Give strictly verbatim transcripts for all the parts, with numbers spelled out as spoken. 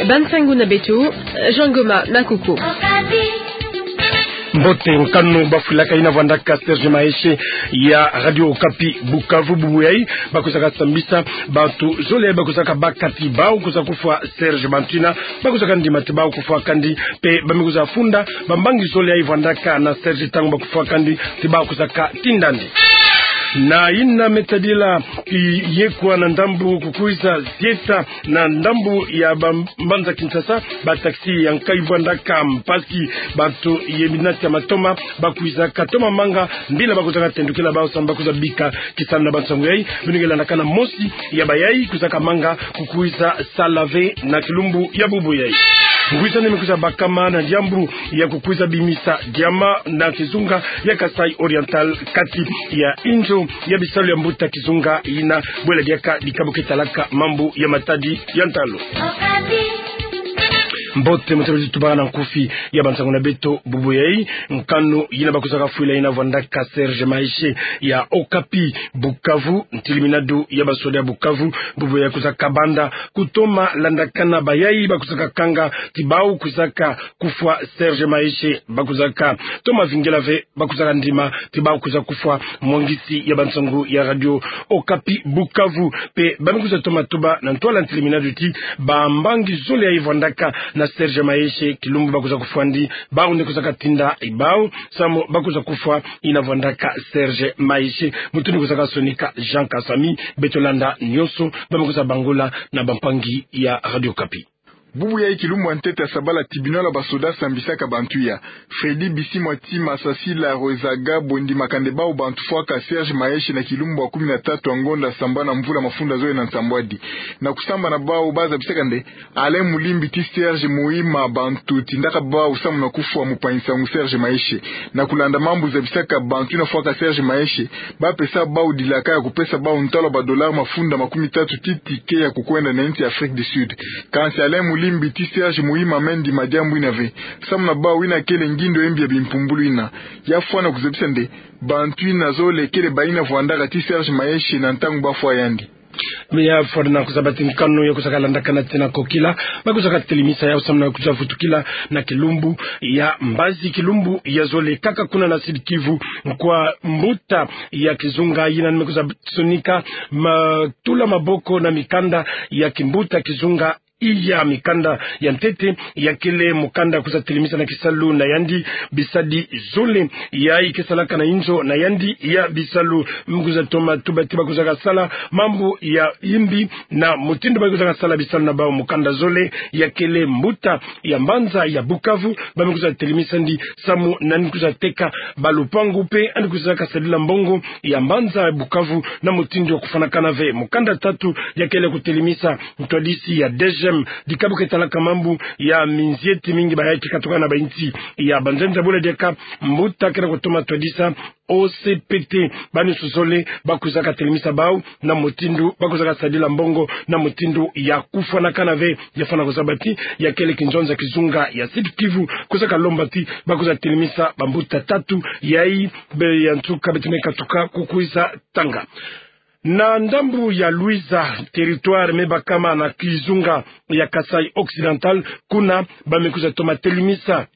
Bansangu na beto, Jean Goma Makuku. Mbote. Nkanu bafwilaka ina vwandaka Serge Maeshe ya Radio Okapi Bukavu bubu yayi, bakwizaka sambisa bantu zole yayi bakwizaka baka ti bawu kwiza kufwa Serge, bantu ina bakwizaka ndima ti bawu kufwa kandi, mpe bamekwiza funda bambangi zole yayi vwandaka na Serge ntangu bakufwa kandi ti bawu kwizaka tinda ndi. Na ina me tadila, i, yekwa na ndambu kukwiza zieta na ndambu ya bam-, mbanza Kinshasa, ba taxi ya nkayi vwandaka mpasi, bantu ye minati ya matoma bakwizaka toma manga mbila bakwizaka tendukila bawu samu bakwiza bika kisalu na bansangu yayi. Beno ke landakana mosi ya bayayi kwizaka manga kukwiza sala ve na kilumbu ya bubu yayi. Ngwisani mekwiza bakama na diambu ya kukwiza bimisa diamant na kizunga ya Kasaï Oriental, kati ya inzo ya bisalu ya mbuta kizunga ina bwela diaka dikabu ke talaka mambu ya matadi ya ntalu. Mbote, mutebeti tubaka na nkufi ya bansangu na beto bubu yayi. Nkanu yina bakwizaka fwila ina vwandaka Serge Maeshe ya Okapi Bukavu, ntiliminadu ya basoda ya Bukavu bubu yayi kwizaka banda kutoma landakana bayayi bakwizaka kanga ti bawu kwizaka kufwa Serge Maeshe, bakwizaka toma vingila ve bakwizaka ndima ti bawu kwiza kufwa mwangisi ya bansangu ya Radio Okapi Bukavu. Mpe bamekwiza toma tuba na ntwala ntiliminadu ti bambangi zole yayi vwandaka na Serge Maeshe, kilumbu bakwiza kufwa ndi, bawu nde kwizaka tinda bawu samu bakwiza kufwa ina vwandaka Serge Maeshe. Mutu ni kwizaka sonika Jean Kasami, beto landa nyonso bamekwiza bangula na bampangi ya Radio Okapi. Bubu yayi kilumbu ya ntete ya sabala, tribunal ya basoda sambisaka bantu ya Freddy Bisimwa Tima Sasila Rwezaga Bondi Makande, bawu bantu fwaka Serge Maeshe na kilumbu ya kumi na tatu ya ngonda sambana mvula mafunda zole na nsambwadi. Na kusambana bawu bazabisaka nde Alain Mulimbi ti Serge Muhima, bantu tindaka bawu samu na kufwa mupangi nsangu Serge Maeshe. Na kulanda mambu zabisaka bantu ina fwaka Serge Maeshe, bapesa bawu dilaka ya kupesa bawu ntalu ya ba dollars mafunda makumi tatu ti ticket ya kukwenda na insi ya Afrique du Sud. Kansi Alain Mulimbi ti Serge Muhima me ndima diambu ina ve, samu na bawu ina kele ngindo ya mbi ya bimpumbulu ina. Ya fwana kuzabisa nde bantu ina zole kele bayina vwandaka ti Serge Maeshe na ntangu bafwa yandi. Mia fwana kuzaba ti nkanu ya kwizaka landakana tina kokila, bakwizaka telimisa yawu samu na kwiza vutukila na kilumbu ya mbazi, kilumbu ya zole kaka kuna na Sud-Kivu, kwa mbuta ya kizunga yina ni me kwiza sonika ma-, tula maboko na mikanda ya kimbuta kizunga iya, mikanda ya ntete ya kele mukanda kwiza telimisa na kisalu na yandi bisadi zole yayi ke salaka na inzo na yandi ya bisalu. Mu kwiza toma tuba ti bakwizaka sala mambu ya yimbi na mutindu bakwizaka sala bisalu na bawu. Mukanda zole ya kele mbuta ya mbanza ya Bukavu, ba me kwiza telimisa ndi samu na yandi kwiza teka balupangu mpe yandi kwizaka sadila mbongo ya mbanza ya Bukavu na mutindu ya kufwanakana ve. Mukanda tatu ya kele kutelimisa ntwadisi ya DGM, dikabu ke talaka mambu ya minzieti mingi bayayi ke katuka na bainsi ya banzenza, bwela diaka mbuta kele kutoma twadisa O C P T. Bawu nyonso zole bakwizaka telimisa bawu na mutindu bakwizaka sadila mbongo na mutindu ya kufwanakana ve. Ya fwana kuzaba ti ya kele kinzonza kizunga ya Sud-Kivu kwizaka lomba ti bakwiza telimisa bambuta tatu yayi, be ya nsuka beto me katuka kukwiza tanga. Na ndambu ya Luiza, territoire me bakama na kizunga ya Kasaï Occidental, kuna ba me kwiza toma telimisa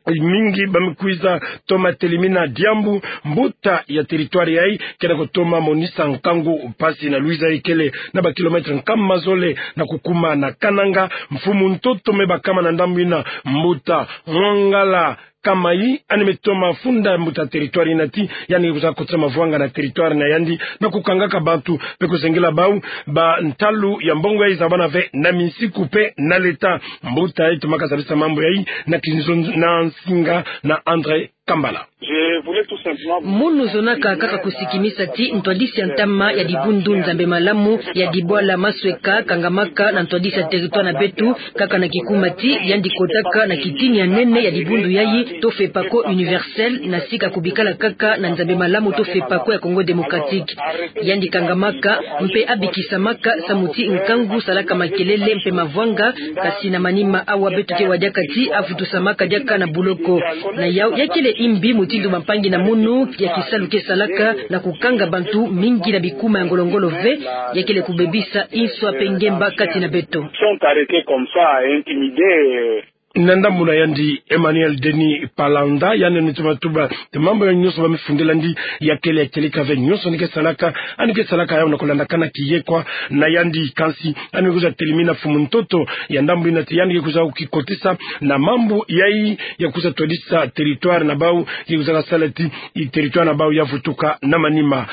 mingi, ba me kwiza toma telimina diambu mbuta ya territoire yayi kele kutoma monisa nkangu mpasi. Na Luiza yayi kele na ba kilomètres nkama zole na kukuma na Kananga. Mfumu ntoto me bakama na ndambu ina, mbuta Mwangala Kamayi, yandi me toma funda mbuta territoire ina ti yandi ke kwiza kotisa mavwanga na territoire na yandi na kukangaka bantu mpe kuzengela bawu bantalu ya mbongo yayi zabana ve na minsiku mpe na leta. Mbuta yayi tomaka zabisa mambu yayi na kinzon-, na nsinga na André Kambala. Munu zonaka kaka kusikimisa ti ntwadisi ya ntama ya dibundu Nzambi malamu ya Dibwala Masweka kangamaka na ntwadisi ya territoire na beto, kaka na kikuma ti yandi kotaka na kitini ya nene ya dibundu yayi to FEPACO universel, na sika kubikala kaka na Nzambi malamu to FEPACO ya Congo Démocratique. Yandi kangamaka mpe abikisamaka samu ti nkangu salaka makelele mpe mavwanga, kasi na manima awa beto ke wa diaka ti avutusamaka diaka na buloko. Na yawu ya kele imbi mutindu bampangi na munu ya kisalu ke salaka na kukanga bantu mingi na bikuma ya ngolo-ngolo ve, ya kele kubebisa inswa pe ngemba kati na beto. Sont arrêtés comme ça, intimidés. Na ndambu na yandi Emmanuel Denis Palanda, yandi ni toma tuba te mambu ya nyonso bamifundela yandi, ya kele ya kieleka ve nyonso yandi ke salaka, yandi ke salaka yawu na kulandakana kiyekwa na yandi. Kansi yandi ke kwiza telimina mfumu ntoto ya ndambu yina ti yandi ke kwiza kukikotisa na mambu yayi ya kwiza twadisa territoire na bawu, ke kwiza kasala ti territoire na bawu ya vutuka na manima.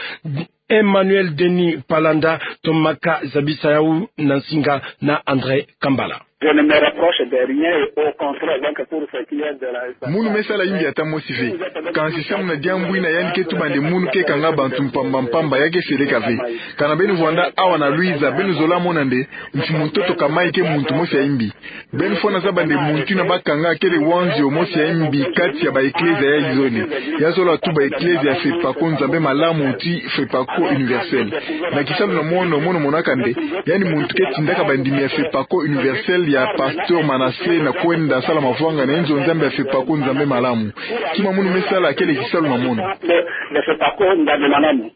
Emmanuel Denis Palanda tomaka zabisa yawu na nsinga na André Kambala. Je ne me reproche de rien, au contraire, donc pour ce qui est de la... Munu me sala imbi ata mosi ve. Kansi samu na diambu yina yandi ke tuba nde munu ke kanga bantu mpamba-mpamba, ya ke seleka ve. Kana beno vwanda awa na Luiza, beno zola mona nde mfumu ntoto ka mai ke muntu mosi ya imbi. Beno fwana zaba nde muntu yina bakanga kele wanzio mosi ya imbi kati ya ba eklezia yayi zole. Ya zola tuba eklezia ya Fepako Nzambe Malamu ti Fepako Universel. Na kisalu na mono, mono monaka nde yandi muntu ke tindaka bandimi ya Fepako Universel ya Pasteur Manassé na kwenda sala mavwanga na nzo Nzambe ya Fepako Nzambe Malamu. Kima munu me sala kele kisalu na mono. De, de Fepako Nzambe Malamu.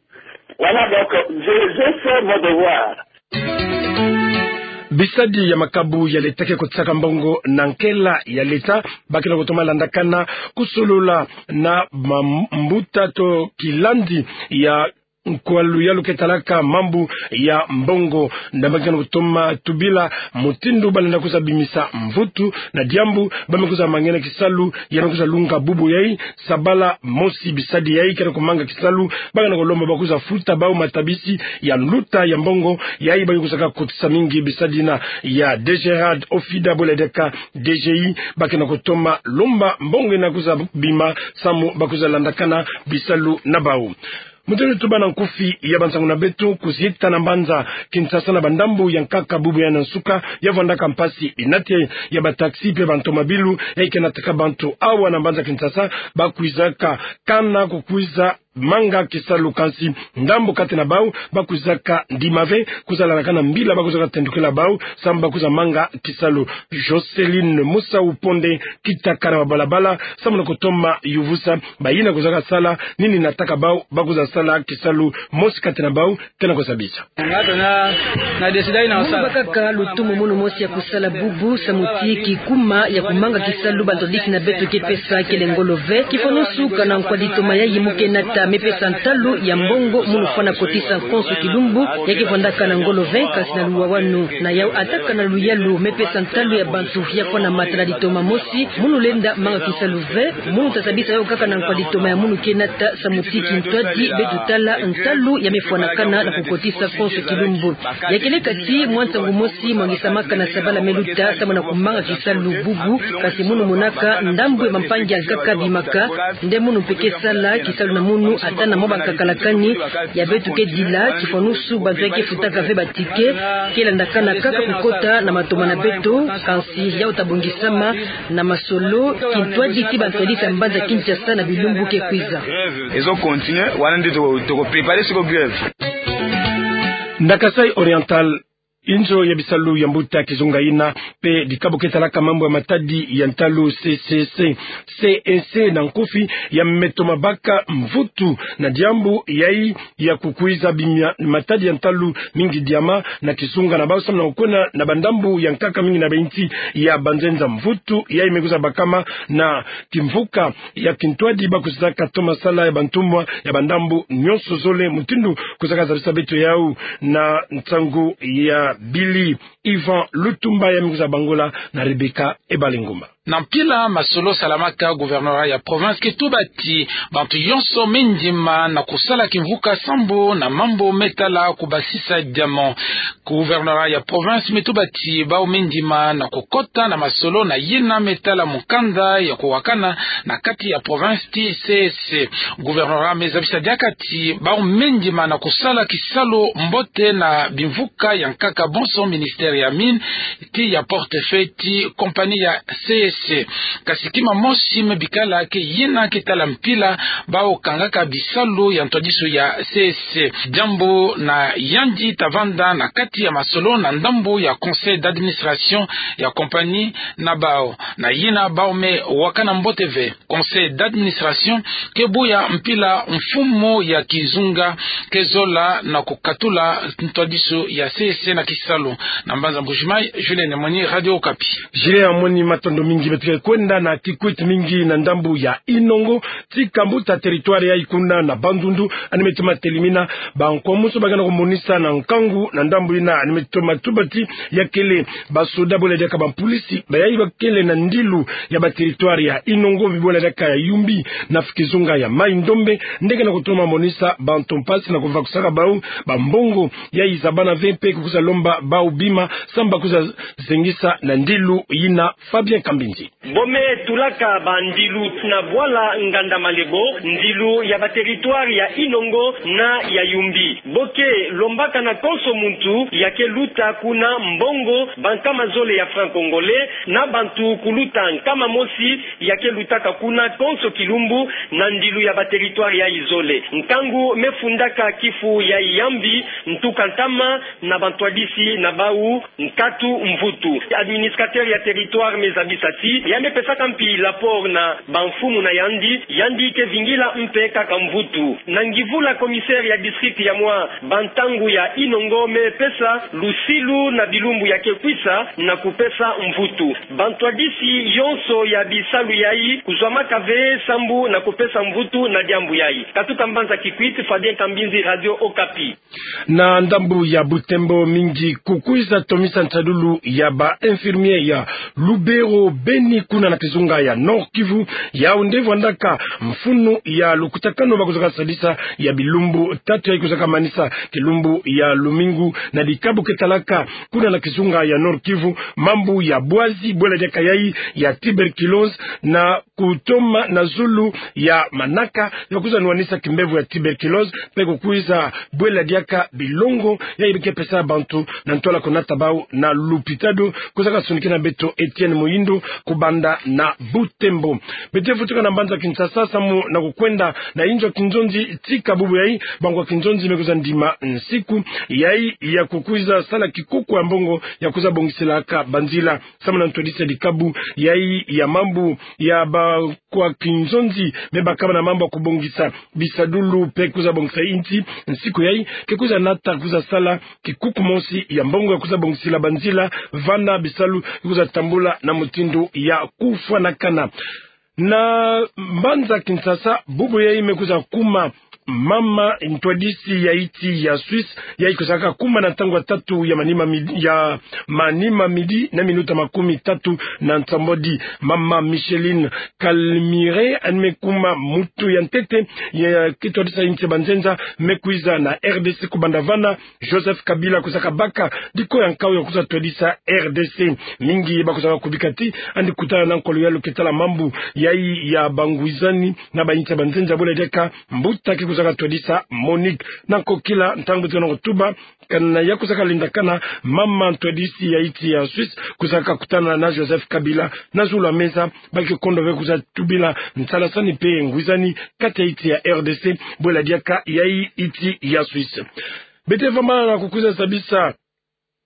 Voilà, donc, je, je fais mon devoir. Bisadi ya makabu ya leta ke kotisaka mbongo na nkela ya leta, ba ke na kutoma landakana kusolola na mambuta to kilandi ya nkwalu yalu ke talaka mambu ya mbongo. Nda ba ke na kutoma tubila mutindu ba lenda kwiza bimisa mvutu na diambu ba me kwiza mangena kisalu, ya me kwiza lunga bubu yayi, sabala mosi bisadi yayi ke na kumanga kisalu, ba ke na kulomba ba kwiza futa bawu matabisi ya nluta ya mbongo yayi ba ke kwizaka kotisa mingi. Bisadi yina ya DGRAD, OFIDA, bole diaka DGI, ba ke na kutoma lomba mbongo yina kwiza bima samu ba kwiza landakana bisalu na bawu. Mutindu tuba na nkufi ya bansangu na beto, kuzita na mbanza Kinshasa na bandambu ya nkaka bubu ya na nsuka, ya vwandaka mpasi binate ya ba taxi pe bantomabilu, ya ke nataka bantu awa na mbanza Kinshasa, ba kwizaka kana kukwiza manga kisalu, kansi ndambu kati na bawu ba kwizaka ndima ve, kwiza landakana mbila ba kwizaka tendukila bawu, samu ba kwiza manga kisalu. Joceline Musa Uponde, kitaka na mabalabala samu na kutoma yuvusa bayina kwizaka sala, nini nataka bawu ba kwiza sala kisalu, mosi kati na bawu ke na kuzabisa. Nga tona, na décide yina... Munu bakaka lutumu munu mosi ya kusala bubu, samu ti kikuma ya kumanga kisalu bantu disi na beto ke pesa kele ngolo ve. Kifwanusu kana nkwaditoma yayi mu ke nata me pesa ntalu ya mbongo munu fwana kotisa nkonso kilumbu, ya ke vwandaka na ngolo ve, kansi na luwawanu na yawu ata kana luyalu me pesa ntalu ya bantu ya fwana mata na ditoma mosi, munu lenda manga kisalu ve. Munu ta zabisa yawu kaka na nkwaditoma ya munu ke nata, samu ti kintwadi beto tala ntalu ya me fwanakana na kukotisa nkonso kilumbu. Ya kele kati mwa nsangu mosi mwangisamaka na sabala me luta samu na kumanga kisalu bubu, kansi munu monaka ndambu ya bampangi ya nkaka bimaka nde munu mpe ke sala kisalu na munu ata na mwa bankakalakani ya beto ke dila, kifwanusu bantu ya ke futaka ve ba ticket ke landakana kaka kukota na matoma na beto, kansi yawu ta bongisama na masolo kintwadi ti bantu ya disa mbanza Kinshasa na bilumbu ke kwiza. Ezo continuer, wana nde toko, toko préparer siko grève. Na Kasaï Oriental, inzo ya bisalu ya mbuta kizunga yina pe dikabu ke talaka mambu ya matadi ya ntalu, C C C, C N C na nkufi, ya me toma baka mvutu na diambu yayi ya kukwiza bima matadi ya ntalu mingi diama na kizunga na bawu samu na kukwena na bandambu ya nkaka mingi na ba insi ya banzenza. Mvutu yayi me kwiza bakama na kimvuka ya kintwadi ba kwizaka toma sala ya bantumwa ya bandambu nyonso zole, mutindu kwizaka zabisa beto yawu na nsangu ya Billy Ivan Lutumba, ya me kwiza bangola na Rebecca Ebalinguma. Na mpila masolo salamaka, gouvernorat ya province ke tuba ti bantu yonso me ndima na kusala kimvuka sambu na mambu me tala kubasisa diamant. Gouvernorat ya province me tuba ti bawu me ndima na kukota na masolo na yina me tala mukanda ya kuwakana na kati ya province ti C S C. Gouvernorat me zabisa diaka ti bawu me ndima na kusala kisalu mbote na bimvuka ya nkaka bonso, ministère ya mines, ti ya portefeuille ti compagnie ya C S C. S. Kasi kima mosi me bikala ke yina ke tala mpila bawu kangaka bisalu ya ntwadisu ya C S. Diambu na yandi ta vanda na kati ya masolo na ndambu ya conseil d'administration ya compagnie na bawu. Na yina bawu me wakana mbote ve. Conseil d'administration ke buya mpila mfumu ya kizunga ke zola na kukatula ntwadisu ya C S na kisalu. Na mbanza Mbujimayi, Julien Moni, Radio Okapi. Julien Moni, matondo mingi. Beto ke kwenda na Kikwit, mingi na ndambu ya Inongo, tika mbuta territoire yayi kuna na Bandundu, yandi me toma telimina bankwamusu bakana kumonisa na nkangu na ndambu yina, yandi me toma tuba ti ya kele basoda bwela diaka bampolisi bayayi bakele na ndilu ya ba territoire ya Inongo, bwela diaka ya Yumbi na kizunga ya Mai-Ndombe, nde ke na kutoma monisa bantu mpasi na kuvakusaka bawu bambongo yayi za bana ve mpe kukwiza lomba bawu bima, samu bakwiza zengisa na ndilu yina. Fabien Kambindi. Bo me tulaka bandilu na bwala Nganda Malebo, ndilu ya ba territoire ya Inongo na ya Yumbi. Bo ke lombaka na konso muntu ya ke luta kuna mbongo bankama zole ya franc congolais, na bantu kuluta nkama mosi ya ke lutaka kuna konso kilumbu na ndilu ya ba territoire yayi zole. Nkangu me fundaka kifu ya Yumbi, ntuka ntama na bantwadisi na bawu nkatu mvutu. Administrateur ya territoire me zabisa ti ya me pesaka mpi rapport na bamfumu na yandi, yandi ke vingila mpe kaka mvutu. Na Ngivula, commissaire ya district ya mwa bantangu ya Inongo me pesa lusilu na bilumbu ya ke kwisa na kupesa mvutu. Bantwadisi yonso ya bisalu yayi kuzwamaka ve sambu na kupesa mvutu na diambu yayi. Katuka mbanza Kikwit, Fabien Kambindi, Radio Okapi. Na ndambu ya Butembo, mingi kukwiza tomisa nsalulu ya ba infirmier ya Lubero Beni kuna na kizunga ya Nord-Kivu, yawu nde vwandaka mfunu ya lukutakanu bakwizaka sadisa ya bilumbu tatu yayi kwizaka manisa kilumbu ya lumingu na dikabu ke talaka kuna na kizunga ya Nord-Kivu mambu ya bwazi, bwela diaka yayi ya tuberculose, na kutoma na zulu ya manaka ya kwiza nwanisa kimbevo ya tuberculose, mpe kukwiza bwela diaka bilongo yayi bike pesa bantu na ntwala kunata bawu na lupitalu. Kwizaka sonikina beto Etienne Muhindo kubanda na Butembo. Beto vutuka na mbanza Kinshasa samu na kukwenda na inzo ya kinzonzi, tika bubu yayi bankwa kinzonzi me kwiza ndima nsiku yayi ya kukwiza sala kikuku ya mbongo ya kwiza bongisilaka banzila. Samu na ntwadisi ya dikabu yayi ya mambu ya bankwa kinzonzi me bakaba na mambu ya kubongisa bisadulu mpe kwiza bongisa insi, nsiku yayi ke kwiza nata kwiza sala kikuku mosi ya mbongo ya kwiza bongisila banzila vana bisalu kwiza tambula na mutindu ya kufwanakana. Na mbanza Kinshasa, bubu yayi me kwiza kuma mama ntwadisi ya insi ya Suisse, yayi kwizaka kuma na ntangu ya tatu ya manima midi, ya manima midi na minuta makumi tatu na nsambwadi. Mama Micheline Calmire, yandi me kuma muntu ya ntete ya ke twadisa insi ya banzenza, me kwiza na R D C kubanda vana Joseph Kabila kwizaka baka diko ya nkau ya kwiza twadisa R D C. Mingi bakwizaka kubika ti yandi kutana na nkolo ya luketo la mambu yayi ya bangwizani na bainsi ya banzenza, bwela diaka mbuta ke kwizaka twadisa Monique. Na nkokila ntangu beto ke na kutuba, kana ya kwizaka lendakana, mama ntwadisi ya insi ya Suisse kwizaka kutana na Joseph Kabila na zulu ya meza, ba ke kondo ve kwiza tubila nsalasani mpe ngwizani kati ya insi ya R D C, bwela diaka yayi insi ya Suisse. Beto vambana na kukwiza zabisa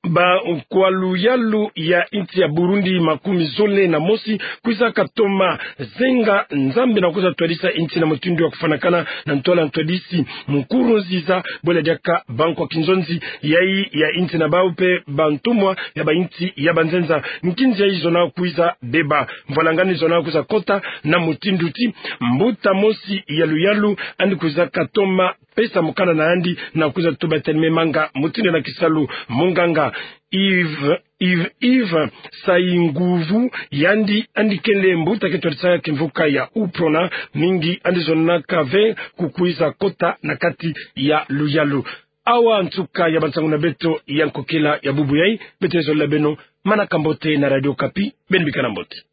ba kwa luyalu ya insi ya Burundi, makumi zole na mosi kwizaka toma zenga Nzambi na kwiza twadisa insi na mutindu ya kufwanakana na ntwala ntwadisi Nkurunziza, bwela diaka bankwa kinzonzi yayi ya insi na bawu mpe bantumwa ya bainsi ya banzenza. Nkinzi yayi zona kwiza beba, mvwalangani zona kwiza kota na mutindu ti mbuta mosi ya luyalu yandi kwizaka toma pesa mukanda na yandi na kwiza tuba ti yandi me manga mutindu na kisalu. Munganga Yves, Yves, Yves Sayinguvu, yandi, yandi kele mbuta ke twadisa kimvuka ya UPRONA, mingi yandi zonaka ve kukwiza kota na kati ya luyalu. Awa nsuka ya bansangu na beto ya nkokila ya bubu yayi. Beto zolele beno manaka mbote na Radio Okapi. Beno bikana mbote.